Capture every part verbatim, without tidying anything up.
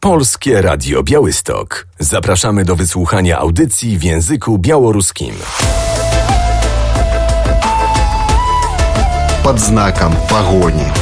Polskie Radio Białystok. Zapraszamy do wysłuchania audycji w języku białoruskim. Под знаком погони.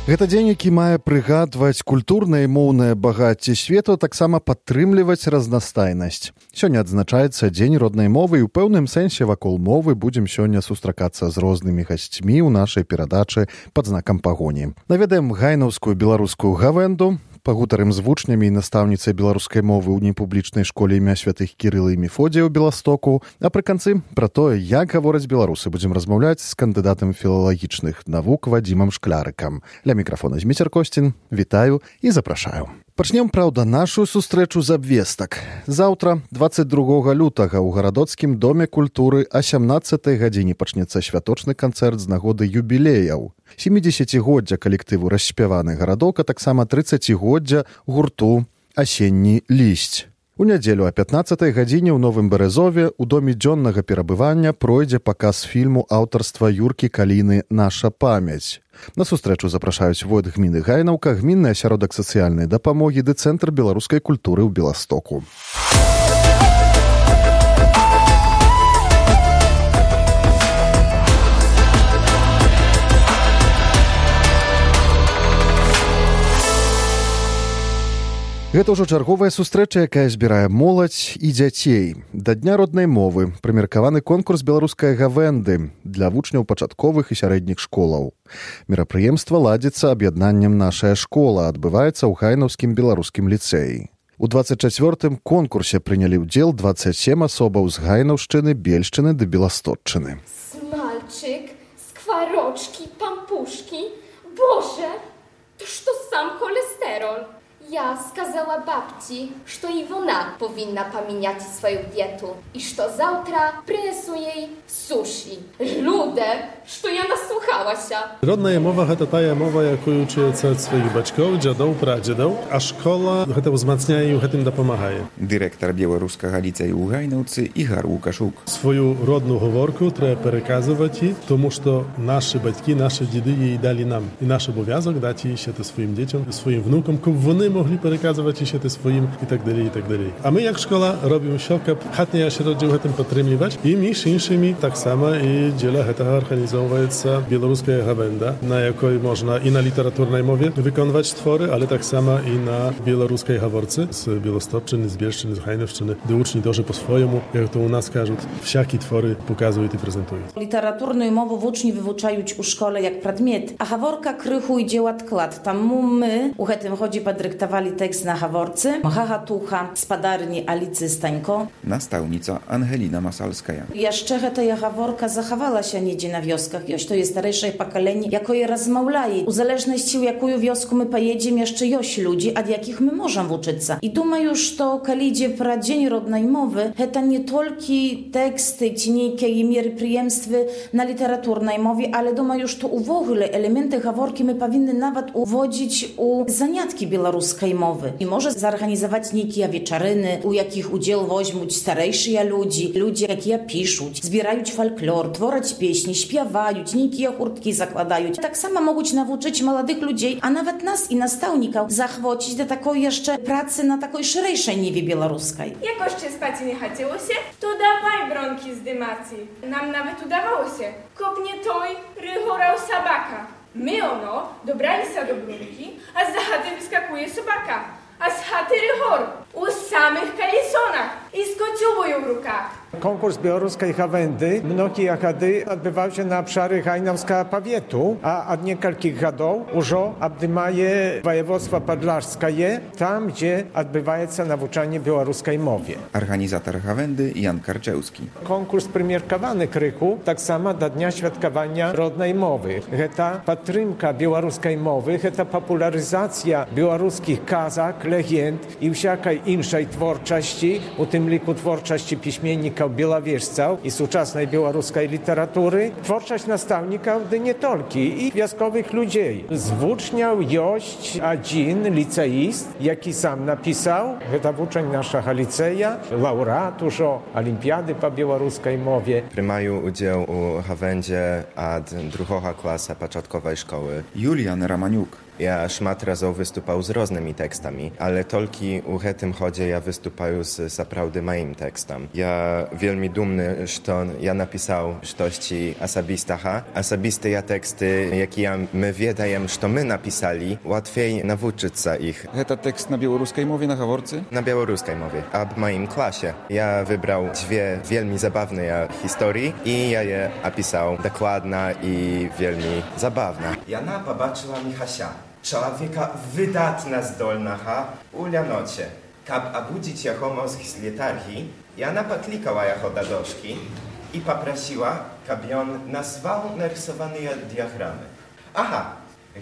Гэта дзень, які мае прыгадваць культурнае і моўнае багацце свету, таксама падтрымліваць разнастайнасць. Сёння адзначаецца дзень роднай мовы і ў пэўным сэнсе вакол мовы будзем сёння сустракацца з рознымі гасцьмі ў нашай перадачы «Пад знакам пагоні». Наведаем гайнаўскую беларускую гавэнду, пагутарым з вучнямі і настаўніцай беларускай мовы ў непублічнай школе імя святых Кірыла і Мефодія ў Беластоку, а пры канцы пра тое, як гавораць беларусы, будзем размаўляць з кандыдатам філалагічных навук Вадзімам Шклярыкам. Ля мікрафона Зміцер Косцін, вітаю і запрашаю. Пачнем, праўда, нашу сустрэчу з абвестак. Заўтра, дваццаць другога лютага, у гарадоцкім доме культуры а сямнаццатай гадзіне пачнецца святочны канцэрт з нагоды юбілеяў. сямідзесяцігоддзя калектыву «Расспяваны гарадок», а таксама трыццацігоддзя гурту «Асенні лісць». У нядзелю а пятнаццатай гадзіне ў Новым Березове ў доме дзённага перабывання пройдзе паказ фільму аўтарства Юркі Каліны «Наша памяць». На сустрэчу запрашаюць войт гміны Гайнаўка, гмінны асяродак сацыяльнай дапамогі ды Цэнтр беларускай культуры ў Беластоку. Гэта ўжо чарговая сустрэча, якая збірае моладзь і дзяцей. Да Дня роднай мовы прымеркаваны конкурс беларускай гавэнды для вучняў пачатковых і сярэдніх школаў. Мерапрыемства ладзіцца аб'яднаннем «Нашая школа», адбываецца ў гайнаўскім беларускім ліцэі. У дваццаць чацвёртым конкурсе прынялі ўдзел дваццаць сем асобаў з Гайнаўшчыны, Бельшчыны ды Беластотчыны. Смальчик, скворочки, пампушки. Боже, to что сам холестерол. Я сказала бабci, что и она повинна поменять свою диету, и что завтра принесу ей суши. Ludę, что я наслухалась. Родная мова – это тая мова, якую учуецца ад сваіх бацькоў, дзядоў, прадзедаў, а школа гэта ўзмацняе і гэтым дапамагае. Дырэктар беларускага ліцэю ў Гайнаўцы Ігар Лукашук. Свою родную гаворку трэба пераказваць і, тому што нашы бацькі, нашы дзеды її далі нам. І наш абов'язок дати її ще своїм дітям, своїм внукам, каб вони могли переказувати ще своїм і так далі, і так далі. А ми, як школа, робимо що, каб хатні асяроддзі гэтым падтрымліваць. І між іншымі таксама і дзеля гэтага арганізоўваецца беларуская гавэнда, на якой можна і на літаратурнай мове выконваць творы, але таксама і на беларускай гаворцы з Белостопчыны, з Бельшчыны, з Гайнаўшчыны, де учні тоже по-своєму, як то у нас кажуть, всякі твори показують і презентують. Літературну мову вучні вивчають у школе як предмет, а гаворка крыху ідзе ў адклад. Таму мы у гэтым годзе падрыхтавалі тэкст на гаворцы «Гагатуха» спадарні Аліцы Станько. Настаўніца Ангеліна Масальская. Яшчэ гэтая гаворка захавалася недзе на вёсках. Ёсць то jest старэйшае пакаленне, якое размаўляе. У залежнасці, у якую вёску мы паедзем, яшчэ ёсць людзі, ад якіх мы можам вучыцца. І думаю, што калі ідзе пра дзень роднай мовы, гэта не толькі тэксты ці нейкія мерапрыемствы на літаратурнай мове, але думаю, што увогуле элементы гаворкі мы павінны нават уводзіць у заняткі беларускай мовы. І можа зарганізаваць нейкія вечарыны, у якіх удзел возьмуць старэйшыя людзі, людзі, якія пішуць, збіраюць фальклор, твораць песні, śpiewaють, нейкія гурткі закладаюць. Таксама могуць навучыць маладых людзей, а нават нас і настаўнікаў захвоціць да такой яшчэ працы на такой шырэйшай ніве беларускай. Jak jeszcze spać nie chciało się, to dawaj bronki z dymacji. Nam nawet udawało się. Kopnie toj, rychorał sabaka. My ono dobrali się do brunki, a z chaty wyskakuje sobaka. A z chaty rychor, u samych kalisonach i z kociubują w rukach. Konkurs białoruskiej gawędy mnogie gady odbywał się na obszary Gajnowska Pawietu, a od niekalkich gadów już obdymaje województwo podlarskie, tam gdzie odbywa się nauczanie białoruskiej mowie. Organizator gawędy Jan Karczewski. Konkurs premierkowany kryku, tak samo do Dnia Świadkowania Rodnej Mowy. Heta patrymka białoruskiej mowy, heta popularyzacja białoruskich kazak, legend i wszelkiej innej twórczości, u tym liku twórczości piśmiennika nastavnikov bielowieżców i współczesnej białoruskiej literatury, twórczość nastavnikov gdy nie tylko i wioskowych ludzi. Z uczniów jest jeden liceist, jaki sam napisał, to uczeń naszego liceja, laureat już olimpiady po białoruskiej mowie. Приймаю уділ у гавенді ад другого класа початкової школи. Julian Ramaniuk. Ja szmat razów wystupał z różnymi tekstami, ale tylko u tym chodzie ja wystupаю z naprawdę moim tekstem. Ja wielmi dumny, że ja napisał coś osobistaha. Osobiste ja teksty, jakie ja my wiedajem, że my napisali, łatwiej nauczyć się ich. To tekst na białoruskiej mowie na Haworce? Na białoruskiej mowie, a w moim klasie. Ja wybrał dwie wielmi zabawne historii i ja je opisał dokładnie i wielmi zabawne. Jana pobaczyła Michasia. Człowieka wydatna zdolnacha u Lianocie. Kab obudzić jeho mózg z letargii, Jana poklikała jeho do doszki i poprosiła, kab on nazwał narysowane diagramy. Aha,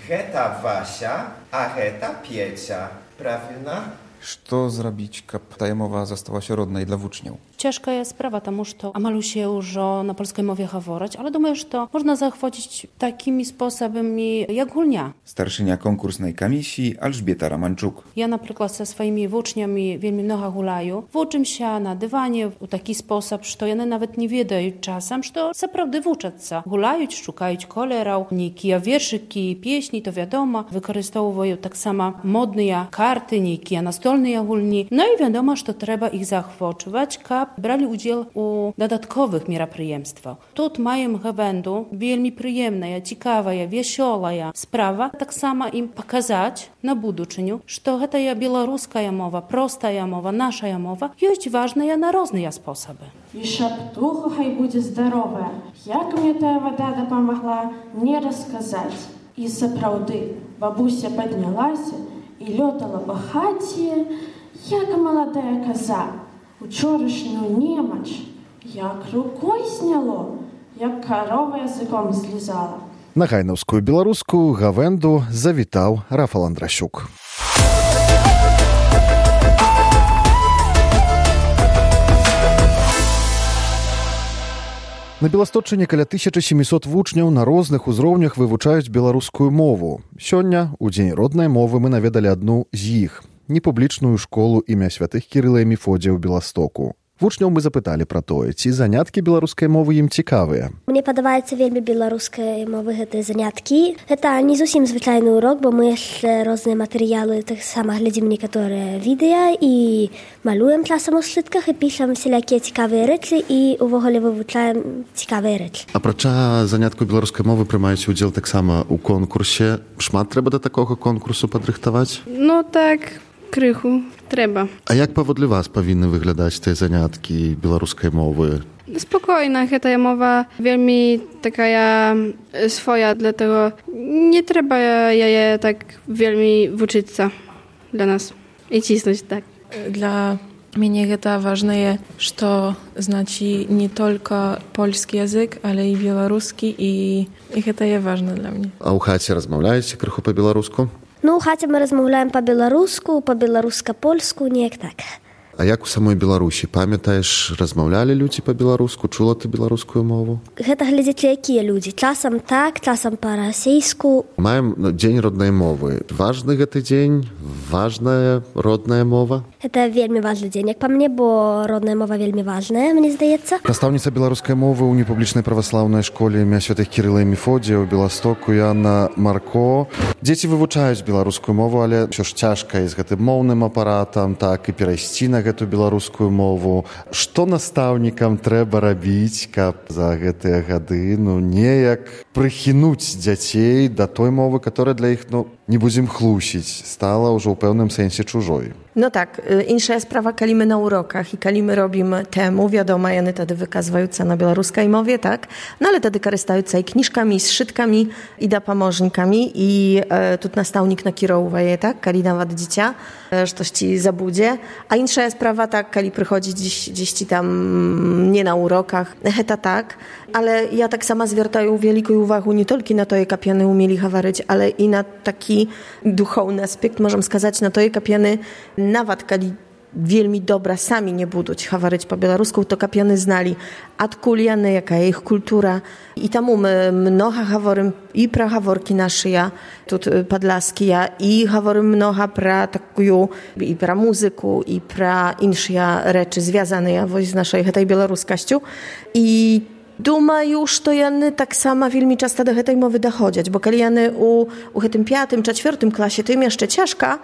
heta Wasia, a heta Piecia. Prawilna? Что zrobić, kab ta mowa została się rodnej dla uczniów? Ciężka jest sprawa, тому что амалу się już na polskiej mowie говорить, ale думаю, że można zachwycić takimi sposobami jak gulnia. Starszynia konkursnej komisji Elżbieta Ramanczuk. Ja na przykład ze swoimi uczniami wielmi mnogo gulaju. Uczę się na dywanie w taki sposób, że one nawet nie wiedają czasem, że naprawdę uczą się. Gulają, szukają kolorów, niekie wierszyki, pieśni, to wiadomo. Wykorzystują tak samo modne karty, niekie nastolne gulni. No i wiadomo, że trzeba ich zachwycić, kab brali udział u dodatkowych мероприемствach. Тут маем гавенду вельми приємная, цікавая, веселая справа. Так само им показать на будучыню, что гэтая белорусская мова, простая мова, наша мова есть важная на разные способы. И шаптуха хай будет здоровая. Як мне та вода допомогла, не рассказать. И сапраўды бабуся поднялась и летала по хаті, як молодая коза. Учорашнюю немач, як рукой сняло, як корова языком злізала. На гайнаўскую беларускую гавенду завітаў Рафал Андрасюк. На Беласточыне каля тысяча сямісот вучняў на розных узроўнях вывучаюць беларускую мову. Сёння, у дзень роднай мовы, мы наведалі адну з іх. Непублічную школу імя святых Кірыла і Мефодзія ў Беластоку. Вучняў мы запыталі пра тое, ці заняткі беларускай мовы ім цікавыя. Мне падабаецца вельмі беларускай мовы гэтыя заняткі. Гэта не зусім звычайны урок, бо мы яшчэ розныя матэрыялы, таксама глядзім некаторыя відэа і малюем часам у сшытках і пішам всялякія цікавыя рэчы і увогуле вывучаем цікавыя рэчы. Апрача заняткаў беларускай мовы прымаюць удзел таксама ў конкурсе. Шмат трэба да такога конкурсу падрыхтаваць? Ну так, крыху трэба. А як паводле вас павінны выглядаць тыя заняткі беларускай мовы? Spokojna, гэтая мова вельмі такая своя, dlatego nie trzeba jej tak вельмі вучыцца для нас и cisnąć так. Для меня это важное, что значит не только польский язык, але и белорусский, и, и это и важно для меня. А ў хаце размаўляеце крыху па-беларуску? Ну, у хаце мы размаўляем па-беларуску, па-беларуска-польску, неяк так. А як у самой Беларусі? Памятаеш, размаўлялі людзі па-беларуску? Чула ты беларускую мову? Гэта глядзячы, якія людзі. Часам так, часам па-расейску. Маем дзень роднай мовы. Важны гэты дзень? Важная родная мова? Гэта вельмі важны дзень, як па мне, бо родная мова вельмі важная, мне здаецца. Настаўніца беларускай мовы ў непублічнай праваслаўнай школе імя святых Кірыла і Мефодзія ў Беластоку Яна Марко. Дзеці вывучаюць беларускую мову, але ўсё ж цяжка і з гэтым моўным апаратам, так і перайсці на гэту беларускую мову. Што настаўнікам трэба рабіць, каб за гэтыя гады ну неяк прыхінуць дзяцей да той мовы, которая для іх ну не будзем хлусіць, стала ўжо ў пэўным сэнсе чужой. No tak, insza jest sprawa, kali my na urokach i kali my robimy temu, wiadomo, jany tedy wykazywające na białoruskiej mowie, tak? No ale tedy korystające i kniżkami, zszytkami i da pomożnikami i e, tu nastawnik nakierowaje, tak? Kali nawet dziecię, e, że coś ci zabudzie. A insza jest sprawa, tak, kali przychodzi gdzieś, gdzieś ci tam nie na urokach, heta tak, ale ja tak sama zwiertaję wielką uwagę nie tylko na to, jak piany umieli hawaryć, ale i na taki duchowny aspekt, możemy skazać, na to, jak piany nawet kali wielmi dobra sami nie buduć hawaryć po białorusku, to kap jany znali odkul jany, jaka je ich kultura. I tamu my mnoha haworym i pra haworki nasze ja, tut podlaski ja, i haworym mnoha pra takuju, i pra muzyku, i pra inszia rzeczy związane ja z naszej tej białoruskaściu. I Duma już to jany tak sama wielmi często do tej mowy dochodzić, bo kiedy jany u, u tym piątym czy czwartym klasie to im jeszcze ciężka,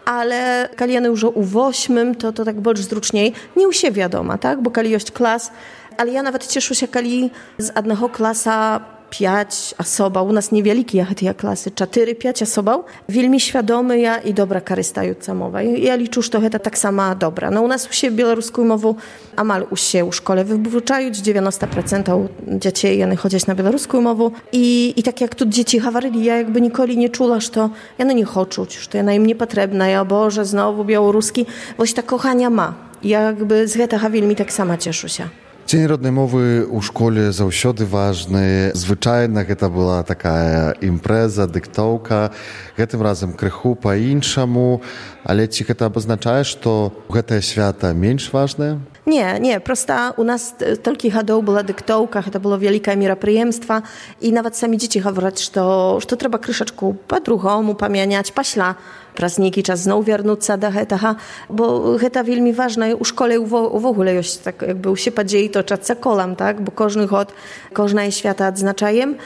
ale kiedy jany już u ósmym to, to tak bardziej zruczniej, nie u siebie wiadoma, tak? Bo kiedy jest klas, ale ja nawet cieszę się, kiedy z jednego klasa pięć osoba, u nas niewielki jak te klasy, cztery, pięć osoba, wielmi świadomy ja i dobra korystająca mowa. I ja liczę, że to jest tak sama dobra. No u nas u siebie białoruską mową amal u się u szkole wywuczają, dziewięćdziesiąt procent dzieci jany chodzić na białoruską mową i, i tak jak tu dzieci hawaryli, ja jakby nikoли nie czula, że to ja no nie chcę, że to ja na im niepotrzebna, ja Boże, znowu białoruski, właśnie ta kochania ma. Ja jakby z tego wielmi tak sama cieszę się. Дзень роднай мовы ў школе заўсёды важны. Звычайна гэта была такая імпрэза, дыктоўка. Гэтым разам крыху па-іншаму. Але ці гэта абазначае, што гэтае свята менш важнае? Nie, nie, prosta u nas tolki hadał była dyktowka, to było wielkie meropryjemstwa i nawet sami dzieci mówią, że to, że to trzeba kryszeczku po drugiemu pamiętać, paśla prazniki, czas znowu wrócić do tego, bo to wielmi ważne u szkole w ogóle jest tak jakby u się dzieje to czas kolam, tak, bo każdy hod, każda jest świata odznaczajem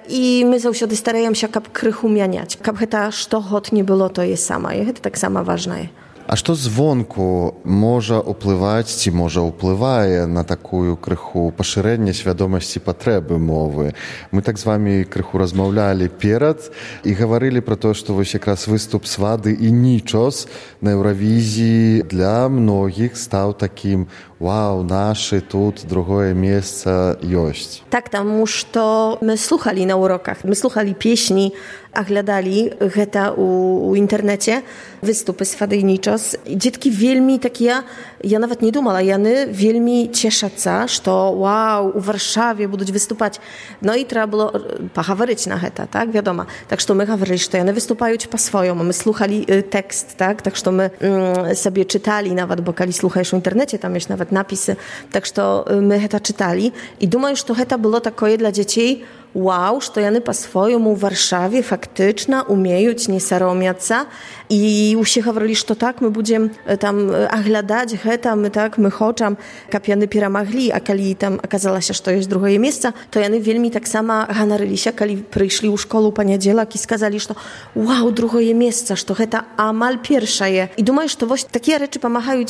i my zawsze starajemy się kap krychu mianiać, kap to, że hod nie było, to jest sama i to tak sama ważne. А што звонку можа ўплываць ці можа ўплывае на такую крыху пашырэнне свядомасці патрэбы мовы? Мы так з вамі крыху размаўлялі перад і гаварылі пра тое, што вось якраз выступ Свады і Нічос на Еўравізіі для многіх стаў такім «Вау, нашы тут другое месца ёсць». Tak, таму што мы слухалі на уроках, мы слухалі песні, аглядалі гэта у, у інтэрнэце, выступы Свады і Нічос. Дзеткі вельмі такія, я нават не думала, яны вельмі цешацца, што вау, у Варшаве будуць выступаць. No i trzeba było pohawaryć na гэта, tak, wiadomo. Tak, że my говорили, że one występują po swojemu. My słuchali tekst, tak, tak, że my mm, sobie czytali nawet, bo kiedy słuchasz w internecie, tam jest nawet napisy, tak, że my гэта czytali i думаю, że to гэта było takie dla dzieci wow, że jany po swojemu w Warszawie faktycznie umieją nie saromiaca i usie говорили, że tak, my będziemy tam oglądać гэта, my tak, my chcemy, kap jany piramagli, a kiedy tam okazało się, że to jest drugie miejsce, to jany wielmi tak samo ganaryli się, kiedy przyszli u szkoły poniedziałek i skazali, że wow, drugie miejsce, że to гэта amal pierwsze je. I думаю, że to właśnie takie rzeczy pomagają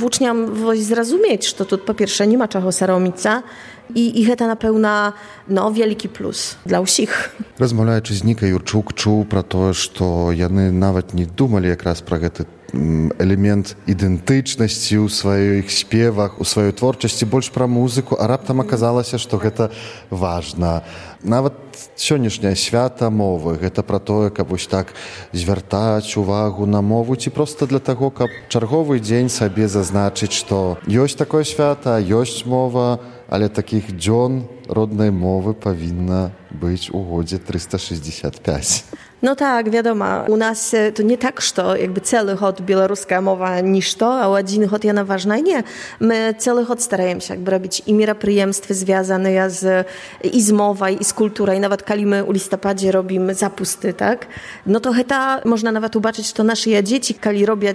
uczniom zrozumieć, że тут po pierwsze nie ma czego saromica, I, i гэта, напэўна, no, wielki plus dla ўсіх. Размаўляючы з Нікай Юрчук, чуў пра тое, што яны нават не думалі якраз пра гэты элемент ідэнтычнасці ў сваіх спевах, у сваёй творчасці, больш пра музыку, а раптам аказалася, што гэта важна. Нават сённяшняе свята мовы, гэта пра тое, каб вось так звяртаць увагу на мову, ці проста для таго, каб чарговы дзень сабе зазначыць, што ёсць такое свята, ёсць мова, ale takich дзён роднай мовы павінна быць у годзе трыста шэсцьдзесят пять. No tak, wiadomo, u nas to nie tak, że jakby cały hod białoruska mowa niż to, a один hod jana ważna. Nie, my cały hod starajemy się jakby robić i meropryjemstwy związane z, i z mową, i z kulturą, i nawet kiedy my u listopadzie robimy zapusty, tak? No to heta, można nawet zobaczyć, że nasze dzieci, kiedy robią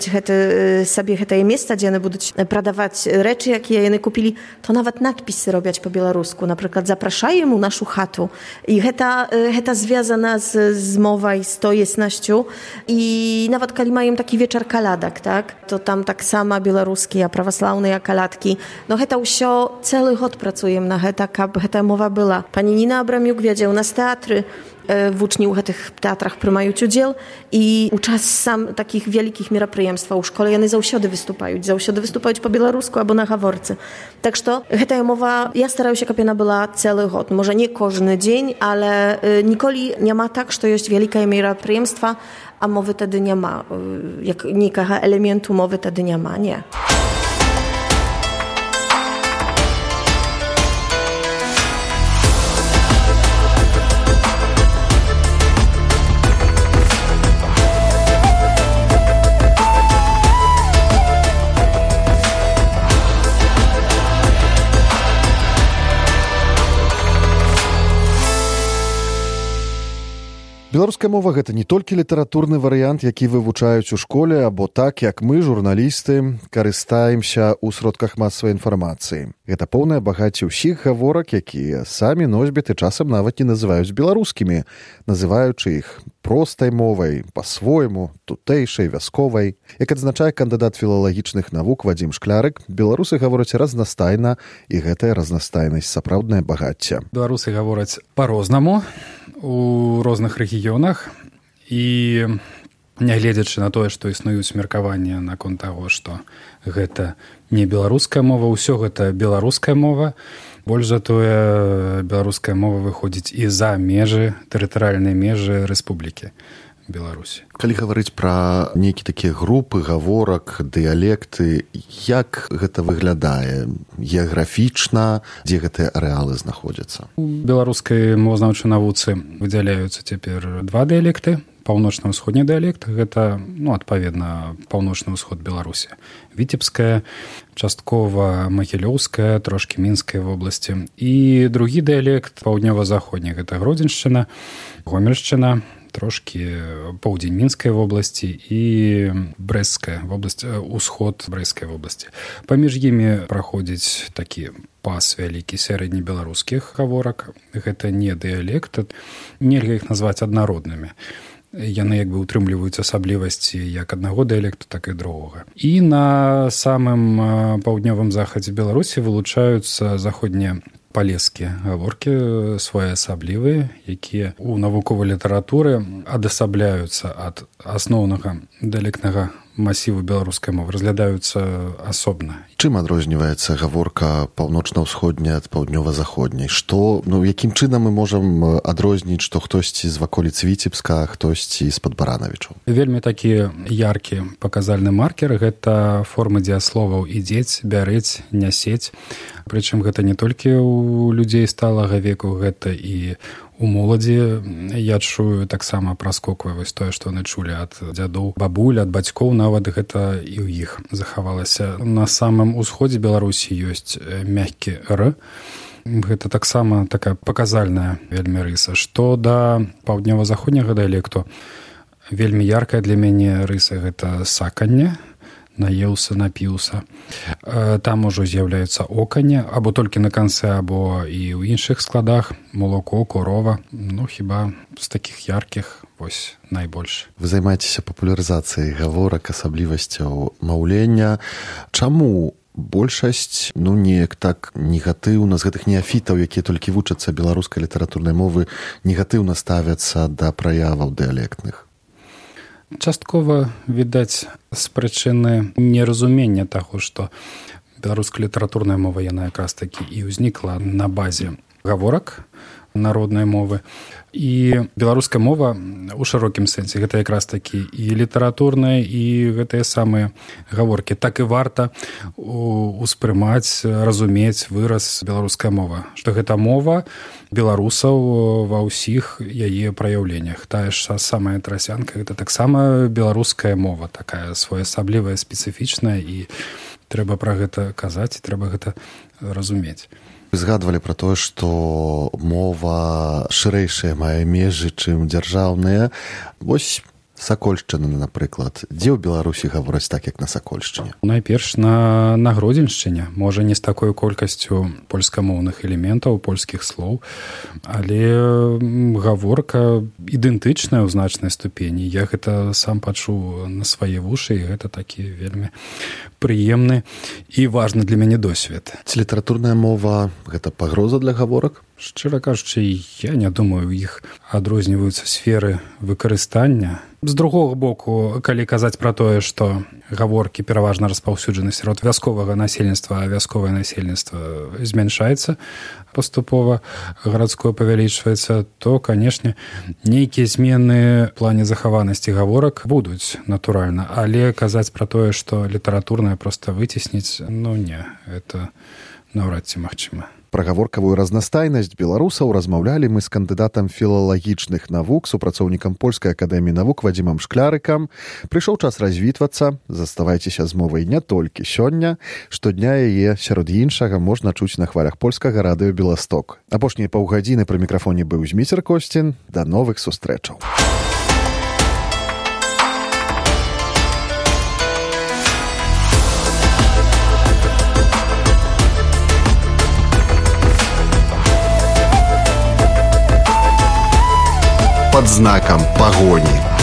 sobie heta miejsca, gdzie one będą sprzedawać rzeczy, jakie one kupili, to nawet nadpisy robią po białorusku. Na przykład zapraszają mu naszą chatu. I heta, heta związana z, z mową i z to jestnością. I nawet kiedy mają taki wieczór kaladak, tak? To tam tak samo białoruskie, a prawosławne jak kaladki. No heta usio cały hod pracujemy na heta, kab heta mowa była. Pani Nina Abramiuk wiedzie u nas teatry, w uczniu w tych teatrach prymają udział i u czas sam takich wielkich meropryjemstw u szkole one zawsiody występują, zawsiody występują po białorusku albo na haworce. Tak że heta mowa, ja starałem się, kapiena była cały hod. Może nie każdy dzień, ale nikoli nie ma tak, że jest wielkie meropryjemstwa, a mowy wtedy nie ma. Jak nikago elementu mowy wtedy nie ma, nie. Беларуская мова гэта не толькі літаратурны варыянт, які вывучаюць у школе, або так, як мы, журналісты, карыстаемся ў сродках масавай інфармацыі. Гэта поўнае багацце ўсіх гаворак, якія самі носьбіты часам нават не называюць беларускімі, называючы іх простай мовай, па-свойму, тутэйшай, вясковай. Як адзначае кандыдат філалагічных навук Вадзім Шклярык, беларусы гавораць разнастайна, і гэтая разнастайнасць сапраўднае багацце. Беларусы гавораць па-рознаму у розных рэгіёнах, і нягледзячы на тое, што існуюць меркаванні наконт таго, што гэта не беларуская мова, ўсё гэта беларуская мова. Больш за тое, беларуская мова выходзіць і за межы, тэрытарыяльныя межы рэспублікі Беларусі. Калі гаварыць пра нейкі такія групы гаворак, дыялекты, як гэта выглядае геаграфічна, дзе гэтыя арэалы знаходзяцца? У беларускай мовазнаўчай навуцы выдзяляюцца цяпер два дыялекты. Паўночна-ўсходні дыялект, гэта, ну, адпаведна, паўночны ўсход Беларусі. Віцебская, часткова магілёўская, трошкі мінскай вобласці. І другі дыялект, паўднёва-заходні, гэта Гродзеншчына, Гомельшчына, трошкі поўдзень мінскай вобласці і брэсцкая вобласць, усход брэсцкай вобласці. Паміж імі праходзіць такі пас вялікі сярэднебеларускіх гаворак. Гэта не дыялект, нельга іх назваць аднароднымі. Яны як бы утрымліваюць асаблівасці як аднаго дыялекту, так і другога. І на самым паўднёвым захадзе Беларусі вылучаюцца заходнія палескія гаворкі, своеасаблівыя, якія ў навуковай літаратуры адасабляюцца ад асноўнага дыялектнага масіву беларускай мовы, разглядаюцца асобна. Чым адрозніваецца гаворка паўночна-ўсходняя ад паўднёва-заходняй? Што, ну, якім чынам мы можам адрозніць, што хтосьці з ваколіц Віцебска, а хтосьці з-пад Баранавічаў? Вельмі такі яркі паказальны маркер — гэта формы дзеясловаў ідзець, бярэць, нясець. Прычым гэта не толькі ў людзей сталага веку, гэта і у моладзі. Я чую таксама праскоквае вось тое, што яны чулі ад дзядоў, бабуль, ад бацькоў, нават гэта і ў іх захавалася. На самым усходзе Беларусі ёсць мяккі р. Гэта таксама такая паказальная вельмі рыса. Што да паўднёва-заходняга дыялекту, вельмі яркая для мяне рыса — гэта саканне, наеўся, напіўся. Там ужо з'яўляецца оканне, або толькі на канцы, або і ў іншых складах, молоко, корова. Ну, хіба з такіх яркіх вось найбольш. Вы займаецеся папулярызацыяй гаворак, асаблівасцяў маўлення. Чаму большасць, ну, неяк так негатыўна з гэтых неафітаў, якія толькі вучацца беларускай літаратурнай мовы, негатыўна ставяцца да праяваў дыялектных? Часткова, відаць, з прычыны неразумення таго, што беларуская літаратурная мова, яна якраз такі і ўзнікла на базе гаворак народнай мовы. І беларуская мова ў шырокім сэнсе — гэта якраз такі і літаратурная, і гэтыя самыя гаворкі. Так і варта успрымаць, разумець выраз беларуская мова, што гэта мова беларусаў ва ўсіх яе праяўленнях. Тая ж самая трасянка — гэта таксама беларуская мова, такая своеасаблівая, спецыфічная, і трэба пра гэта казаць, і трэба гэта разумець. Вы згадвалі пра тое, што мова шырэйшая мае межы, чым дзяржаўныя. Вось Сакольшчына, напрыклад. Дзе ў Беларусі гавораць так, як на Сакольшчыне? Найперш на, на Гродзеншчыне. Можа, не з такой колькасцю польскамоўных элементаў, польскіх слоў, але гаворка ідэнтычная ў значнай ступені. Я гэта сам пачуў на свае вушы, і гэта такі вельмі прыемны і важны для мяне досвед. Ці літаратурная мова — гэта пагроза для гаворак? Шчыра кажучы, я не думаю, у іх адрозніваюцца сферы выкарыстання. З другога боку, калі казаць пра тое, што гаворкі пераважна распаўсюджаны сярод вясковага насельніцтва, а вясковае насельніцтва змяншаецца паступова, гарадское павялічваецца, то, канешне, нейкія змены ў плане захаванасці гаворак будуць, натуральна. Але казаць пра тое, што літаратурная проста выцесніць, ну не, это наўрад ці магчыма. Пра гаворкавую разнастайнасць беларусаў размаўлялі мы з кандыдатам філалагічных навук, супрацоўнікам Польскай акадэміі навук Вадзімам Шклярыкам. Прыйшоў час развітвацца. Заставайцеся з мовай не толькі сёння. Штодня яе, сярод іншага, можна чуць на хвалях польскага радыё «Беласток». Апошнія паўгадзіны пры мікрафоне быў Зміцер Косцін. Да новых сустрэчаў. Под знаком погони.